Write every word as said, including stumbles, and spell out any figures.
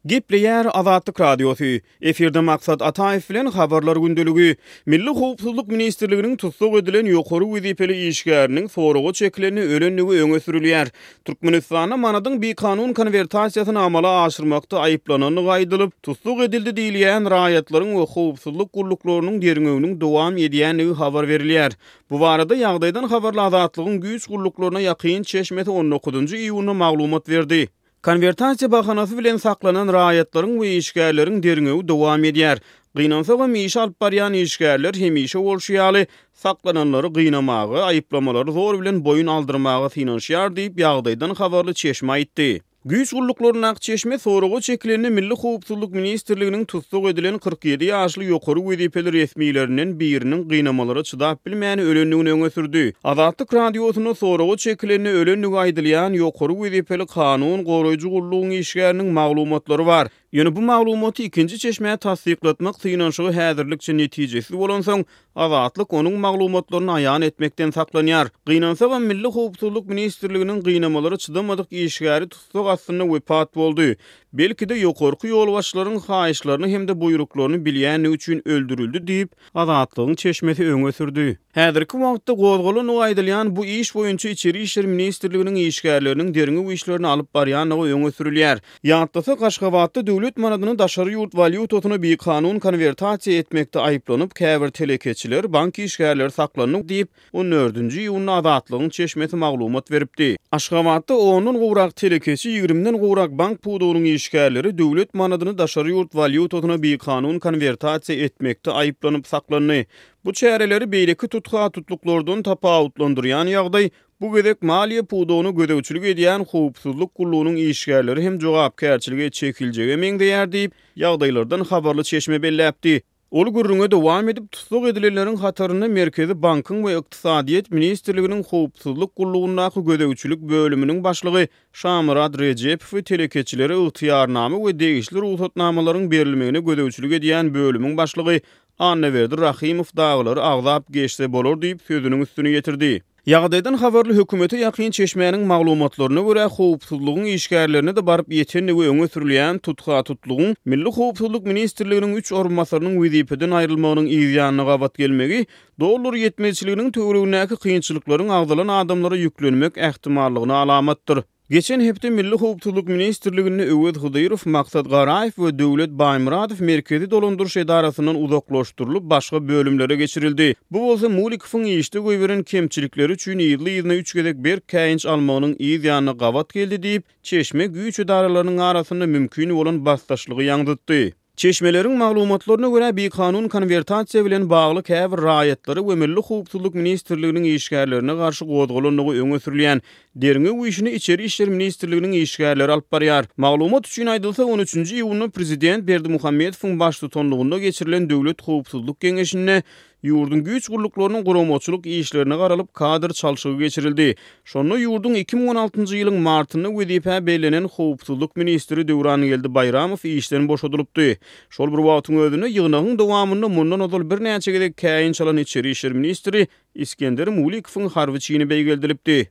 Gepleýär Azatlyk Radiosy. Efirde Maksat Ataýew bilen Habarlar gündeligi. Milli howpsuzlyk ministrliginiň tussag edilen ýokary wezipeli işgäriniň soraga çekilende ölendigi öňe sürülýär. Türkmenistanda manadyň bikanun konwertasiýasyny amala aşyrmakda aýyplanandygy aýdylyp, tussag edildi diýilýän raýatlaryň we howpsuzlyk gulluklarynyň derňewiniň dowam edýändigi habar berilýär. Bu barada ýagdaýdan habarly Azatlygyň güýç gulluklaryna ýakyn çeşmesi on dokuzynjy iýunda maglumat berdi. Konwertasiýa bahanasy bilen saklanan raýatlaryň we işgärleriň derňewi dowam edýär. Gynansagam işi alyp barýan işgärler hemişe bolşy ýaly saklananlary gynamaga, aýyplamalary zor bilen boýun aldyrmaga synanyşýar diýip, ýagdaýdan habarly çeşme aýtdy. Güýç gulluklaryndaky çeşme soraga çekilende Milli howpsuzlyk ministrliginiň tussag edilen kyrk ýedi ýaşly ýokary wezipeli resmilerinden biriniň gynamalara çydap bilmän ölendigini öňe sürdi. Azatlyk Radiosynda soraga çekilende ölendigi aýdylýan ýokary wezipeli kanun goraýjy gullugyň işgäriniň maglumatlary bar. Ýöne bu maglumaty ikinji çeşmä tassyklatmak synanyşygy häzirlikçe netijesiz bolansoň, Azatlyk onuň maglumatlaryny aýan etmekden saklanýar. Gynansagam Milli howpsuzlyk ministrliginiň gynamalara çydamadyk işgäri tussag astynda wepat boldy. Belki-de ýokarky ýolbaşçylaryň haýyşlaryny hem-de buýruklaryny bilýändigi üçin öldürildi diýip, Azatlygyň çeşmesi öňe sürdi. Häzirki wagtda gozgalandygy aýdylýan bu iş boýunça Içeri işler ministrliginiň işgärleriniň derňew işlerini alyp barýandygy öňe sürülýär. Ýatlasak, Aşgabatda döwlet manadyny daşary ýurt walýutasyna bikanun konwertasiýa etmekde aýyplanyp, käbir telekeçiler, bank işgärleri saklandy diýip, on dördünji iýunda Azatlygyň çeşmesi maglumat beripdi. Aşgabatda ondan gowrak telekeçi, ýigrimiden gowrak bank pudagynyň işgärleri döwlet manadyny daşary ýurt walýutasyna bikanun konwertasiýa etmekde aýyplanyp saklandy. Bu çäreleri beýleki tutha-tutluklardan tapawutlandyrýan ýagdaý, bu gezek maliýe pudagyna gözegçilik edýän howpsuzlyk gullugynyň işgärleri hem jogapkärçilige çekiljege meňzeýär diýip, ýagdaýlardan habarly çeşme belläpdi. Ol gürrüňe dowam edip, tussag edilenleriň hatarynda Merkezi bankyň we Ykdysadyýet ministrliginiň howpsuzlyk gullugyndaky gözegçilik bölüminiň başlygy Şamyrat Rejepowy telekeçilere ygtyýarnama we degişli rugsatnamalaryň berilmegine gözegçilik edýän bölümiň başlygy Annaberdi Rahymow dagylary agzap geçse bolar diýip, sözüniň üstüni ýetirdi. Ýagdaýdan habarly hökümete ýakyn çeşmäniň maglumatlaryna görä, howpsuzlygyň işgärlerine-de baryp ýetendigi öňe sürülýän tutha-tutlugyň Milli howpsuzlyk ministrliginiň üç orunbasarynyň wezipeden aýrylmagynyň yz ýanyna gabat gelmegi, dollar ýetmezçiliginiň töweregindäki kynçylyklaryň agzalan adamlara ýüklenmek ähtimallygyna alamatdyr. Geçen hepde Milli howpsuzlyk ministrliginde Öwez Hydyrow, Maksat Garaýew we Döwlet Baýmyradow Merkezi dolandyryş edarasyndan uzaklaşdyrylyp, başga bölümlere geçirildi. Bu bolsa Mulikowyň işde goýberen kemçilikleri üçin yzly-yzyna üç gezek berk käýinç almagynyň yz ýanyna gabat geldi diýip, çeşme güýç edaralarynyň arasynda mümkin bolan basdaşlygy ýaňzytdy. Çeşmeleriň maglumatlaryna görä, bikanun konwertasiýa bilen bagly käbir raýatlary we Milli howpsuzlyk ministrliginiň işgärlerine garşy gozgalandygy öňe sürülýän derňew işini Içeri işler ministrliginiň işgärleri alyp barýar. Maglumat üçin aýdylsa, on üçünji iýunda prezident Berdimuhamedowyň baştutanlygynda geçirilen Döwlet howpsuzlyk geňeşinde ýurduň güýç gulluklarynyň guramaçylyk işlerine garalyp, kadr çalşygy geçirildi. Şonda ýurduň iki müň on altynjy ýylyň martynda wezipä bellenen howpsuzlyk ministri Döwrangeldi Baýramow işden boşadylypdy. Şol bir wagtyň özünde ýygnagyň dowamynda mundan ozal birnäçe gezek käýinç alan içeri işler ministri Iskender Mulikowyň harby çini beýgeldilipdi.